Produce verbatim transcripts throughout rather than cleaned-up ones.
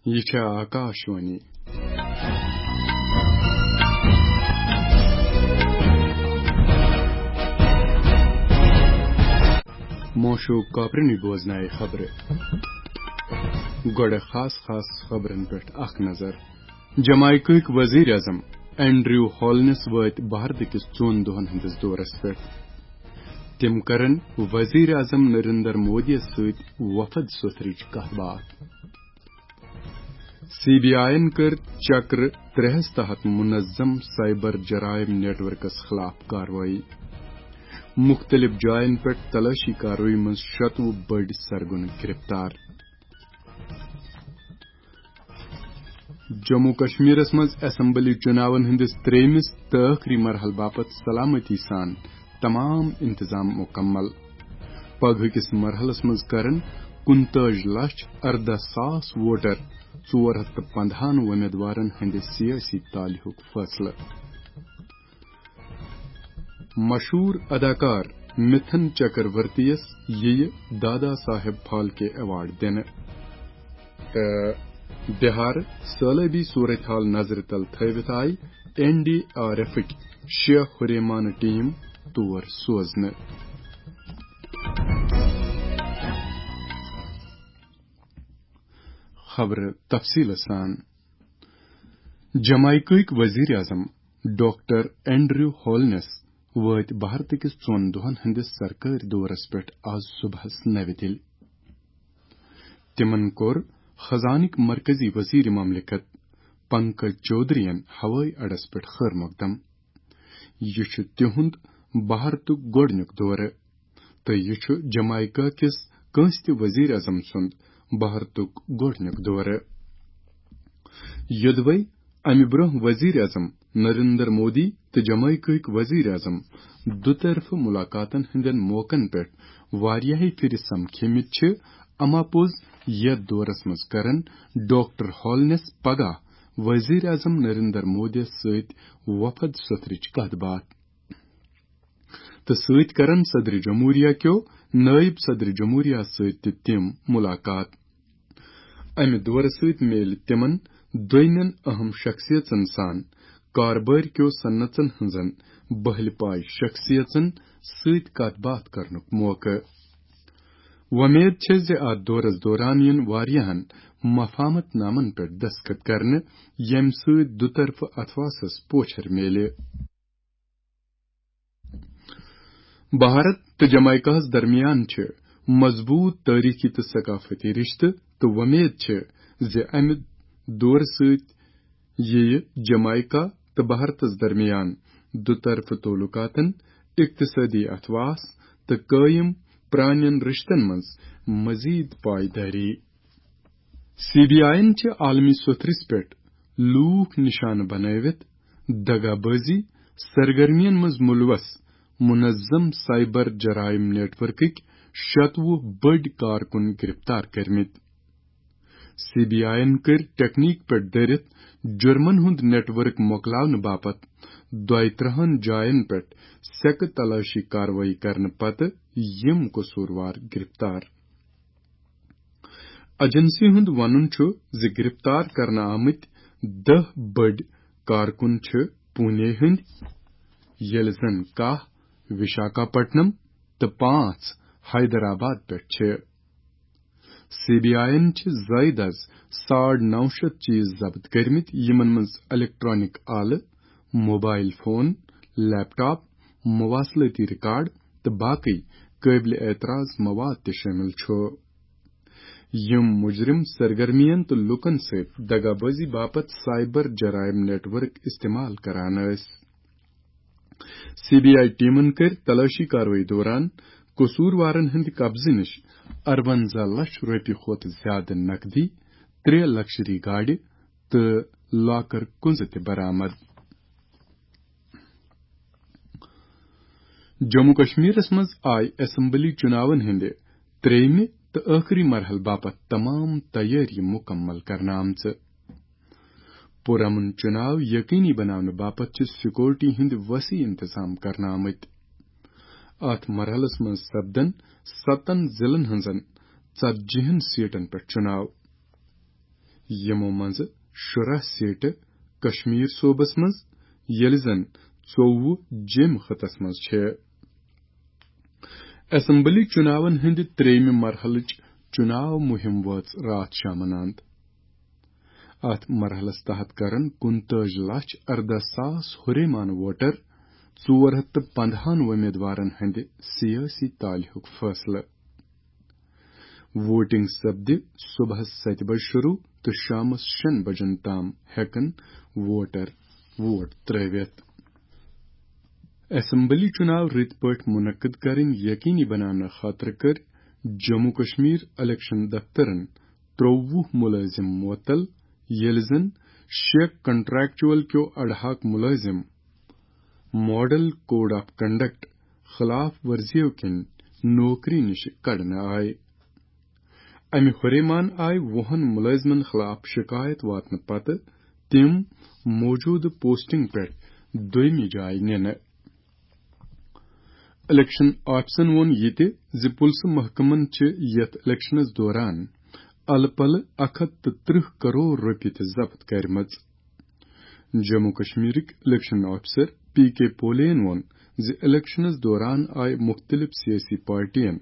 یہِ چھےٚ آکاشوانی۔ موشوق کاپرنی بوزنایہِ خبرٕ۔ گۄڈٕ خاص خاص خبرن پٮ۪ٹھ اکھ نظر۔ جمائیکہٕکۍ وزیر اعظم اینڈریو ہالنس وٲتۍ بھارتہٕ کِس ژۄن دۄہن ہٕنٛدِس دورس پٮ۪ٹھ۔ تِم کرن وزیر اعظم نریندر مودیَس سۭتۍ وفد سوٚتھرٕچ کتھ باتھ۔ سی بی آئی یَن کٔر چکر ترٛےٚ ہَس تحت منظم سائبر جرائم نیٹ ورکس خلاف کاروٲیی۔ مُختٔلِف جاین پٮ۪ٹھ تلٲشی کاروٲیی منٛز شَتوُہ بٔڑۍ سرگن گرفتار۔ جموں کشمیرس منٛز اسمبلی چُناون ہٕنٛدِس ترٛیٚیمِس تہٕ ٲخری مرحلہٕ باپتھ سلامتی سان تمام انتظام مکمل۔ پگہٕ کِس مرحلس منٛز کرن کُنتٲج لچھ ارداہ ساس ووٹر ژور ہتھ تہٕ پندہن وۄمیدوارن ہٕنٛدِ سیٲسی تالہِ ہُک فٲصلہٕ۔ مشہوٗر اداکار مِتھن چکرورتیَس یِیہِ دادا صاحب پھالکے ایوارڈ دِنہٕ۔ تہٕ بہار سٲلٲبی صورتحال نظرِ تل تھٲوِتھ آیہِ این ڈی آر ایفٕکۍ شےٚ ہُریمانہٕ ٹیٖم تور سوزنہٕ۔ خبرٕ تفصیٖلہٕ سان۔ جمائیکہٕکۍ وزیر اعظم ڈاکٹر اینڈریو ہولنس وٲتۍ بھارتہٕ کِس ژۄن دۄہن ہٕنٛدِس سرکٲرۍ دورس پٮ۪ٹھ آز صبحس نوِ دِلہِ۔ تِمن کوٚر خزانٕکۍ مرکزی وزیر مملکت پنکج چودھرین ہوٲیی اڈس پٮ۪ٹھ خٲر مقدم۔ یہِ چھُ تِہُنٛد بھارتُک گۄڈٕنیُک دورٕ تہٕ یہِ چھُ جمائیکا کِس کٲنٛسہِ تہِ وزیر اعظم سُنٛد بھارتُک گۄڈٕنیُک دورٕ۔ یوٚدوَے امہِ برٛونٛہہ وزیر اعظم نریندر مودی تہٕ جمائیکاہٕکۍ وزیر اعظم دُطرفہٕ ملاقاتن ہٕنٛدٮ۪ن موقعن پٮ۪ٹھ واریاہہِ پھِرِ سمکھیمٕتۍ چھِ، اما پوٚز یتھ دورس منٛز کرن ڈاکٹر ہالنس پگاہ وزیر اعظم نریندر مودیَس سۭتۍ وفد سوٚتھرٕچ کتھ باتھ۔ تہٕ سۭتۍ کرن صدر جمہوریہ کیو نائب صدر جمہوریہ سۭتۍ تہِ تِم ملاقات۔ امہِ دورٕ سۭتۍ میلہِ تِمن دوٚیمٮ۪ن اہم شخصیژن سان کاربٲرۍ کیو صنعژن ہٕنزن بہلہِ پایہِ شخصیژن سۭتۍ کتھ باتھ کرنُک موقعہٕ۔ وۄمید چھےٚ زِ اتھ دورس دوران یِن واریاہن مفاہمت نامن پٮ۪ٹھ دستخط کرنہٕ، ییٚمہِ سۭتۍ دُطرفہٕ اتھواسس پوچھر میلہِ۔ بھارت تہٕ جمائیکاہس درمیان چھِ مضبوط تٲریخی تہٕ ثقافتی رشتہٕ، تہٕ وۄمید چھِ زِ امہِ دورٕ سۭتۍ یِیہِ جمائیکا تہٕ بھارتس درمیان دُطرفہٕ تعلقاتن، اقتصٲدی اتھواس تہٕ قٲیِم پرانٮ۪ن رشتن منٛز مزید پائیدٲری۔ سی بی آئی یَن چھِ عالمی سوٚتھرِس پٮ۪ٹھ لوٗکھ نشانہٕ بنٲوِتھ دغا بازی سرگرمیَن منٛز ملوث منظم سائبر جرائم نیٹ ورکٕکۍ شَتوُہ بٔڑۍ کارکُن گرفتار کٔرمٕتۍ۔ سی بی آئی یَن کٔرۍ ٹیکنیک پٮ۪ٹھ دٔرِتھ جرمن ہُنٛد نیٹ ورک مۄکلاونہٕ باپتھ دۄیہِ ترٕٛہن جاین پٮ۪ٹھ سیکہٕ تلاشی کاروٲیی کرنہٕ پتہٕ یِم قصوٗروار گرفتار۔ ایجنسی ہُنٛد وَنُن چھُ زِ گرفتار کرنہٕ آمٕتۍ دَہ بٔڑۍ کارکُن چھِ پونے ہٕنٛدۍ، ییٚلہِ زَن کاہ وشاکھاپٹنم تہٕ پانٛژھ حیدرآباد پٮ۪ٹھ چھِ۔ سی بی آئی یَن چھِ زٲیِد از ساڑ نَو شیٚتھ چیز ضبط کٔرمٕتۍ، یِمن منٛز الیکٹرانک آلہٕ، موبائل فون، لیپ ٹاپ، مواصلٲتی ریکارڈ تہٕ باقٕے قٲبلِ اعتراض مواد تہِ شٲمِل چھُ۔ یِم مجرم سرگرمیَن تہٕ لوٗکَن سۭتۍ دغا بازی باپتھ سائبر جرائم نیٹ ورک استعمال کران ٲسۍ۔ سی بی آئی ٹیمن کٔرۍ تلاشی کاروٲیی دوران قصوٗروارن ہٕنٛدِ قبضہٕ نِش اَرونٛزاہ لچھ رۄپیہِ کھۄتہٕ زِیٛادٕ نقدی، ترٛےٚ لگژری گاڑِ تہٕ لاکر کُنزٕ تہِ برآمد۔ جموں کشمیرس منٛز آیہِ اسمبلی چُناون ہٕنٛدِ ترٛیٚیمہِ تہٕ ٲخری مرحلہٕ باپتھ تمام تیٲری مکمل کرنہٕ آمژٕ۔ پُرامن چُناو یقینی بناونہٕ باپتھ چھِ سیکورٹی ہٕنٛدۍ وسیع انتظام کرنہٕ آمٕتۍ۔ اتھ مرحلس منٛز سپدن ستن ضلعن ہٕنٛزن ژتجی ہن سیٹن پٮ۪ٹھ چُناو۔ یِمو منٛزٕ شُراہ سیٹہٕ کشمیر صوبس منٛز، ییٚلہِ زن ژوٚوُہ جیٚمۍ خٕطس منٛز چھِ۔ اسمبلی چُناون ہٕنٛدِ ترٛیٚیمہِ مرحلٕچ چُناو مُہِم وٲژ راتھ شامن اند۔ اتھ مرحلس تحت کرن کُنتٲجۍ لچھ ارداہ ساس ہُریمان ووٹر ژور ہتھ تہٕ پندہن وۄمیدوارن ہٕنٛدِ سیٲسی تالہِ ہُک فٲصلہٕ۔ ووٹنگ سپدِ صبحس ستہِ بجہِ شروع تہٕ شامس شیٚن بجن تام ہیٚکن ووٹر ووٹ ترٲوِتھ۔ اسمبلی چُناو رٕتۍ پٲٹھۍ منعقد کرٕنۍ یقینی بناونہٕ خٲطرٕ کٔرۍ جموں کشمیر الیکشن دفترن ترٛوٚوُہ مُلٲزِم معطل، ییٚلہِ زن شےٚ کنٹریکچوئل کیو اڈہاک مُلٲزِم ماڈل کوڈ آف کنڈکٹ خلاف ورزیو کِنۍ نوکری نِش کڑنہٕ آیہِ۔ امہِ ہُریمان آیہِ وُہن مُلٲزِمن خلاف شِکایت واتنہٕ پتہٕ تِم موجودٕ پوسٹنگ پٮ۪ٹھ دوٚیمہِ جایہِ نِنہٕ۔ الیکشن آفیسن ووٚن یہِ تہِ زِ پُلسہٕ محکمن چھِ یتھ الیکشنس دوران الہٕ پلہٕ اکھ ہتھ تہٕ ترٕٛہ کرور رۄپیہِ تہِ ضبط کرِمژٕ۔ جموں کشمیرٕکۍ الیکشن آفیسر پی کے پولین ووٚن زِ الیکشنس دوران آیہِ مُختٔلِف سیٲسی پارٹین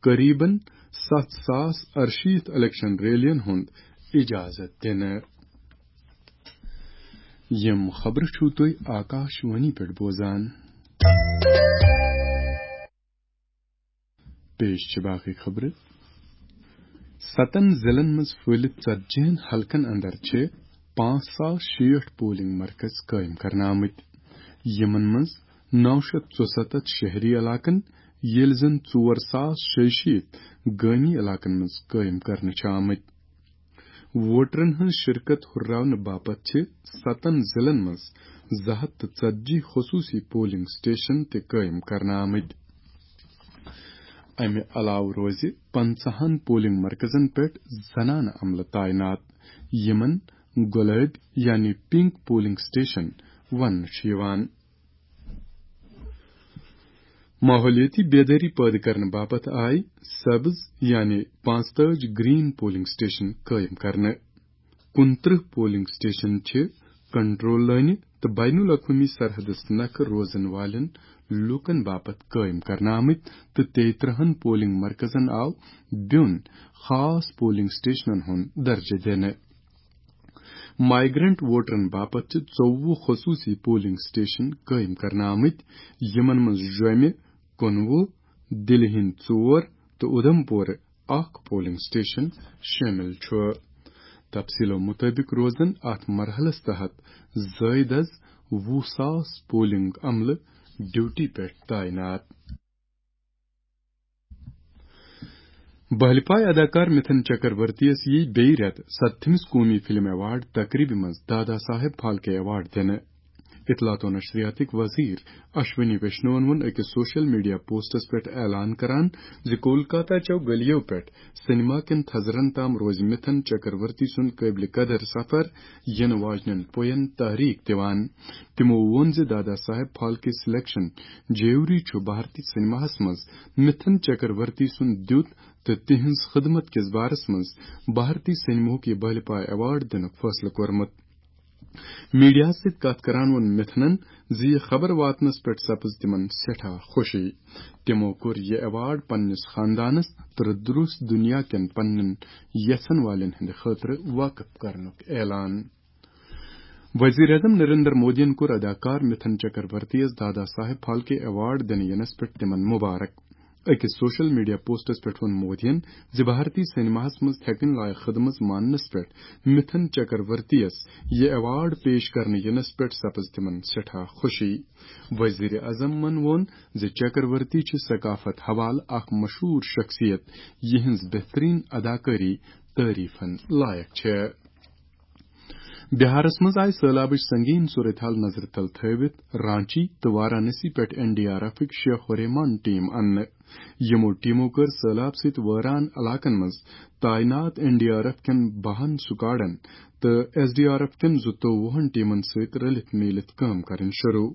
قریباً ستھ ساس ارشیٖتھ الیکشن ریلین ہُنٛد اجازت دِنہٕ۔ یِم خبرٕ چھِو تُہۍ آکاش وانی پٮ۪ٹھ بوزان۔ پیش چھِ باقٕے خبرٕ۔ ستن ضلعن منٛز پھٔہلِتھ ژتجی ہن حلقن اندر چھِ پانٛژھ ساس شیٹھ پولنگ مرکز قٲیِم کرنہٕ آمٕتۍ۔ یِمن منٛز نو شیٚتھ ژُسَتتھ شہری علاقن، ییٚلہِ زن ژور ساس شیٚیہِ شیٖتھ گٲمی علاقن منٛز قٲیِم کرنہٕ چھِ آمٕتۍ۔ ووٹرن ہٕنٛز شرکت ہُرراونہٕ باپتھ چھِ ستن ضلعن منٛز زٕ ہتھ تہٕ ژتجی خصوٗصی پولنگ سٹیشن تہِ قٲیِم کرنہٕ آمٕتۍ۔ امہِ علاوٕ روزِ پنژاہن پولنگ مرکزن پٮ۪ٹھ زنانہٕ عملہٕ تعینات، یِمن گۄلٲبۍ یعنی پنک پولنگ سٹیشن وننہٕ چھُ یِوان۔ ماحولیٲتی بیدٲری پٲدٕ کرنہٕ باپتھ آیہِ سبز یعنی پانٛژتٲجۍ گرین پولنگ سٹیشن قٲیِم کرنہٕ۔ کُنترٕہ پولنگ سٹیشن چھِ کنٹرول لٲنہِ تہٕ بین الاقوٲمی سرحدس نکھٕ روزن والٮ۪ن لوٗکن باپتھ قٲیِم کرنہٕ آمٕتۍ تہٕ تیٚترٕہن پولنگ مرکزن آو بیوٚن خاص پولنگ سٹیشنن ہُنٛد درجہٕ دِنہٕ۔ مائیگرنٹ ووٹرن باپتھ چھِ ژوٚوُہ خصوٗصی پولنگ سٹیشن قٲیِم کرنہٕ آمٕتۍ، یِمن منٛز جوٚمہِ کُنوُہ، دِلہِ ہٕنٛدۍ ژور تہٕ اُدھمپورٕ اکھ پولنگ سٹیشن شٲمِل چھُ۔ تفصیلو مُطٲبِق روزن اتھ مرحلس تحت زٲیدٕ از وُہ ساس پولنگ عملہٕ ڈیوٹی پٮ۪ٹھ تعینات۔ بہلپایہِ اداکار مِتھن چکرورتی یس یی بیٚیہِ رٮ۪تہٕ ستتھمِس قومی فلم ایوارڈ تقریبہِ منٛز دادا صاحب پھالکے ایوارڈ دِنہٕ۔ اطلاعات و نشریاتٕکۍ وزیر اشونی ویشنون ووٚن أکِس سوشل میڈیا پوسٹس پٮ۪ٹھ اعلان کران زِ کولکاتہ چٮ۪و گلیو پٮ۪ٹھ سینما کٮ۪ن تھزرن تام روزِ مِتھن چکرورتی سُنٛد قٲبلِ قدر سفر یِنہٕ واجنٮ۪ن پوین تحریک دِوان۔ تِمو ووٚن زِ دادا صاحب پھالکے سلیکشن جیوری چھُ بھارتی سینماہس منٛز مِتھن چکرورتی سُنٛد دیُت تہٕ تِہنٛز خدمت کِس بارس منٛز بھارتی سینماہُک یہِ بہلپایہِ ایوارڈ دِنُک فٲصلہٕ کوٚرمُت۔ میڈیاہَس سۭتۍ کتھ کران ووٚن مِتھنَن زِ یہِ خبر واتنَس پٮ۪ٹھ سپٕز تِمَن سٮ۪ٹھاہ خوشی۔ تِمو کوٚر یہِ ایوارڈ پننِس خاندانَس تہٕ درست دُنیا کٮ۪ن پننٮ۪ن یژھن والٮ۪ن ہٕنٛدِ خٲطرٕ وقف کرنُک اعلان۔ وزیر اعظم نریندر مودیَن کوٚر اداکار مِتھن چکرورتی یَس دادا صاحب پھالکے ایوارڈ دِنہٕ یِنَس پٮ۪ٹھ تِمَن مبارک۔ أکِس سوشل میڈیا پوسٹس پٮ۪ٹھ ووٚن مودیَن زِ بھارتی سینماہَس منٛز تھٮ۪کٕنۍ لایق خدمژ ماننَس پٮ۪ٹھ مِتھن چکرورتی یَس یہِ ایوارڈ پیش کرنہٕ یِنَس پٮ۪ٹھ سپٕز تِمَن سٮ۪ٹھاہ خوشی۔ وزیر اعظمَن ووٚن زِ چکرورتی چھِ ثقافت حوالہٕ اکھ مشہوٗر شخصیت، یِہنٛز بہترین اداکٲری تعریفن لایق چھےٚ۔ بہارس منٛز آیہِ سٔہلابٕچ سنگین صورتحال نظرِ تل تھٲوِتھ رانچی تہٕ وارانسی پٮ۪ٹھ این ڈی آر ایفٕکۍ شےٚ ہُریمان ٹیم اننہٕ۔ یِمو ٹیمو کٔر سٔہلاب سۭتۍ وٲران علاقن منٛز تعینات این ڈی آر ایف کٮ۪ن بَہَن سکواڈن تہٕ ایس ڈی آر ایف کٮ۪ن زٕتووُہن ٹیمن سۭتۍ رلِتھ میٖلِتھ کٲم کرٕنۍ شروع۔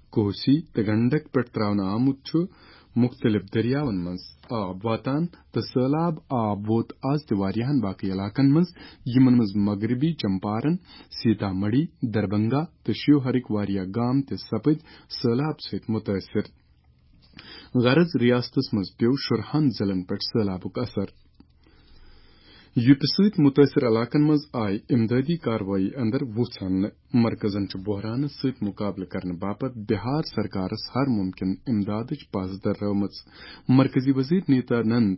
کوسی تہٕ گنڈک پٮ۪ٹھ تراونہٕ آمُت چھُ مُختٔلِف دٔریاوَن منٛز آب واتان تہٕ سٔہلاب آب ووت آز تہِ واریاہن باقٕے علاقن منٛز، یِمن منٛز مغربی چمپارن، سیتا مڑھی، دربنگا تہٕ شیوہرٕکۍ واریاہ گام تہِ سپٕدۍ سٔہلاب سۭتۍ مُتٲثِر۔ غرض، ریاستس منٛز پیوٚو شُرہن ضلعن پٮ۪ٹھ سٔہلابُک اثر۔ یوٗتہٕ سۭتۍ مُتٲثِر علاقن منٛز آیہِ امدادی کاروٲیی اندر وُژھ اننہٕ۔ مرکزن چھُ بحرانس سۭتۍ مُقابلہٕ کرنہٕ باپتھ بہار سرکارس ہر مُمکِن امدادٕچ پژھ دررٲومٕژ۔ مرکزی وزیر نیتانند،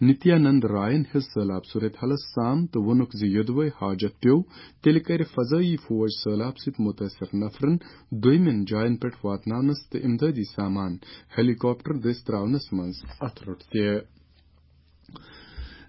نتیانند راین ہیٚژ سٔہلاب صورتحالس سام تہٕ ووٚنُکھ زِ یوٚدوے حاجت پیوٚو، تیٚلہِ کرِ فضٲیی فوج سٔہلاب سۭتۍ مُتٲثِر نفرن دوٚیمٮ۪ن جاین پٮ۪ٹھ واتناونس تہٕ امدادی سامان ہیلی کاپٹر دٔسۍ تراونس منٛز اتھٕ روٚٹ تہِ۔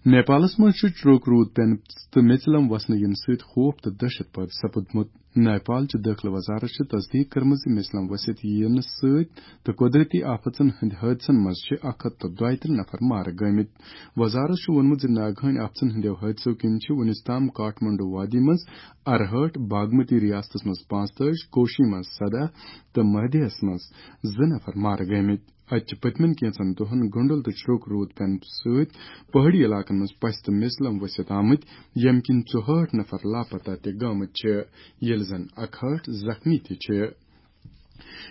نیپالس منٛز چھُ چروک روٗد پینہٕ تہٕ میژِلم وسنہٕ یِنہٕ سۭتۍ خوف تہٕ دہشت پٲدٕ سپُدمُت۔ نیپال چہِ دٲخلہٕ وزارت چھِ تصدیق کٔرمٕژ زِ میژِلم ؤسِتھ یِنہٕ سۭتۍ تہٕ قۄدرتی آفتن ہٕنٛدۍ حٲدثن منٛز چھِ اکھ ہتھ تہٕ دۄیہِ ترٕٛہ نفر مارٕ گٲمٕتۍ۔ وزارت چھُ ووٚنمُت زِ ناگہٲنۍ آفتن ہٕنٛدیو حٲدثو کِنۍ چھِ وُنِس تام کاٹھمنڈو وادی منٛز اَرہٲٹھ، باگمتی ریاستس منٛز پانٛژتٲجی، کوشی منٛز سداہ تہٕ مہدیہس منٛز زٕ نفر مارٕ گٲمٕتۍ۔ اتہِ چھِ پٔتمٮ۪ن کینٛژن دۄہن گنڈل تہٕ چھروک روٗد پینہٕ سۭتۍ پہٲڑی علاقن منٛز پسہِ تہٕ میژِلم ؤسِتھ آمٕتۍ، ییٚمہِ کِنۍ ژُہٲٹھ نفر لاپتہ تہِ گٲمٕتۍ چھِ، ییٚلہِ زن اکہٲٹھ زخمی تہِ چھِ۔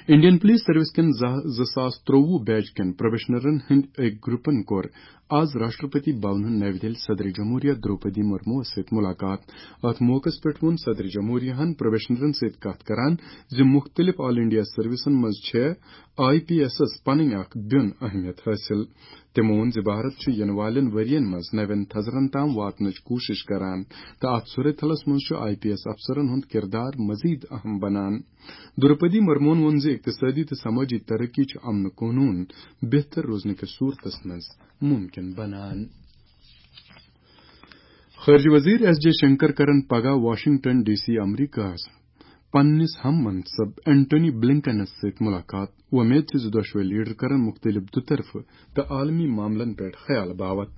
انڈین پولیس سروس کٮ۪ن زٕ، زٕ ساس ترٛۆوُہ بیچ کٮ۪ن پروبیشنرن ہٕنٛدۍ أکۍ گروپن کوٚر آز راشٹرپتی بھونہٕ نَوِ دِلہِ صدر جمہوریہ دروپدی مرموس سۭتۍ ملاقات۔ اتھ موقعس پٮ۪ٹھ ووٚن صدر جمہوریہ ہن پروبیشنرن سۭتۍ کتھ کران زِ مُختٔلِف آل انڈیا سروسن منٛز چھےٚ آئی پی ایسس پنٕنۍ اکھ بیوٚن اہمیت حٲصِل۔ تٔمۍ ووٚن زِ بھارت چھُ یِنہٕ والٮ۪ن ؤرین منٛز نوٮ۪ن تھزرن تام واتنٕچ کوٗشش کران تہٕ اتھ صورتحالس منٛز چھُ آئی پی ایس افسرن ہُنٛد کردار مزید اہم بنان۔ دروپدی مرمون ووٚن زِ اقتصٲدی تہٕ سمٲجی ترقی چھِ امن قونوٗن بہتر روزنہٕ کِس صورتس منٛز ممکن بنان۔ خارجہ وزیر ایس جے شنکر کرن پگاہ واشنگٹن ڈی سی امریکہس پننِس ہم منصب اینٹونی بلنکنس سۭتۍ ملاقات۔ وۄمید چھِ زِ دۄشوے لیڈر کرن مُختٔلِف دُطرفہٕ تہٕ عالمی معاملن پٮ۪ٹھ خیال باوتھ،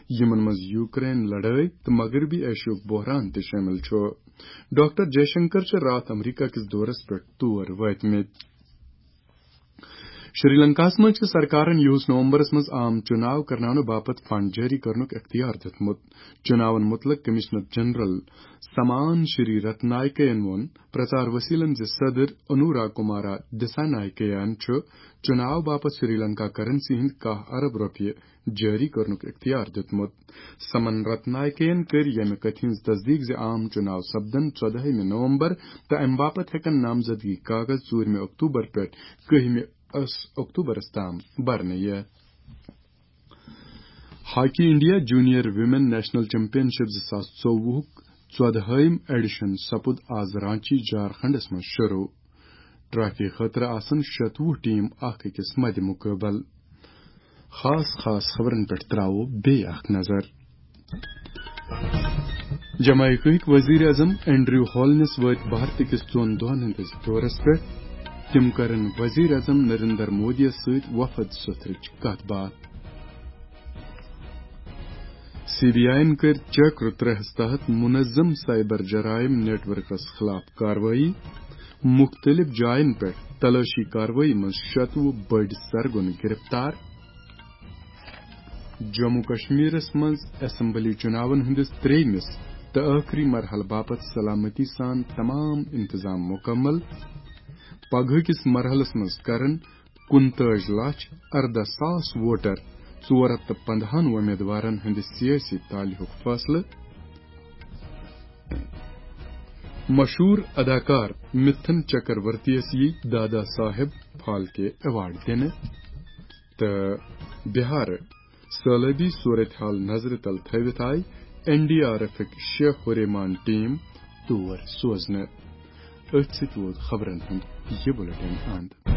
یِمن منٛز یوکرین لڑٲے تہٕ مغربی ایشیاہُک بحران تہِ شٲمِل چھُ۔ ڈاکٹر جے شنکر چھِ راتھ امریکہ کِس دورس پٮ۪ٹھ تور وٲتمٕتۍ۔ شری لنکاہس منٛز چھِ سرکارن یِہُس نومبرس منٛز عام چُناو کرناونہٕ باپتھ فنڈ جٲری کرنُک اختیار دیُتمُت۔ چُناون مُتعلق کمشنر جنرل سمان شری رتنائکین ووٚن پرچار وسیلن زِ صدر انورا کمارا دسانائکین چھُ چُناو باپتھ سری لنکا کرنسی ہٕنٛدۍ کاہ ارب رۄپیہِ جٲری کرنُک اختیار دیُتمُت۔ سمن رتنائکین کٔرۍ ییٚمہِ کتھِ ہٕنٛز تصدیق زِ عام چُناو سپدن ژۄدہمہِ نومبر تہٕ امہِ باپتھ ہٮ۪کن نامزدگی کاغذ ژوٗرمہِ اکتوبر پٮ۪ٹھ کٔہمہِ اکتوبرس تام برنہٕ یِتھ۔ Hockey India junior women national championship زٕ ساس ژوٚوُہُک ژۄدہٲیِم ایڈیشن سپُد آز رانچی جھارکھنڈس منٛز شروع۔ ٹرافی خٲطرٕ آسن شتوُہ ٹیم اکھ أکِس مدِ مقابل۔ خاص خاص خبرن پٮ۪ٹھ تراوو بیٚیہِ اکھ نظر۔ جمائیکہٕکۍ وزیر اعظم اینڈریو ہالنس وٲتۍ بھارتہٕ کِس ژۄن دۄہن ہٕنٛدِس دورس پٮ۪ٹھ۔ تِم کرن وزیر اعظم نریندر مودیَس سۭتۍ وفد سوٚتھرٕچ کتھ باتھ۔ سی بی آئی یَن کٔرۍ چکر ترٛےٚ ہَس تحت منظم سائبر جرائم نیٹ ورکس خلاف کاروٲیی۔ مُختٔلِف جاین پٮ۪ٹھ تلٲشی کاروٲیی منٛز شتوُہ بٔڑۍ سرگن گرفتار۔ جموں کشمیرس منٛز اسمبلی چُناون ہٕنٛدِس ترٛیٚیمِس تہٕ ٲخری مرحلہٕ باپتھ سلامتی سان تمام انتظام مکمل۔ پگہٕ کِس مرحلس منٛز کرن کُنتٲج لچھ اردہ ساس ووٹر، ژور ہتھ تہٕ پندہن وۄمیدوارن ہٕنٛدِ سیٲسی تعلقُک فٲصلہٕ۔ مشہوٗر اداکار مِتھن چکرورتی یَس یِیہِ دادا صاحب پھالکے ایوارڈ دِنہٕ۔ تہٕ بہار سٲلٲبی صورتحال نظرِ تل تھٲوِتھ آیہِ این ڈی آر ایفٕکۍ شےٚ ہُریمان ٹیم تور سوزنہٕ۔ أتھۍ سۭتۍ ووت خبرن ہُنٛد یہِ بُلٹن اند۔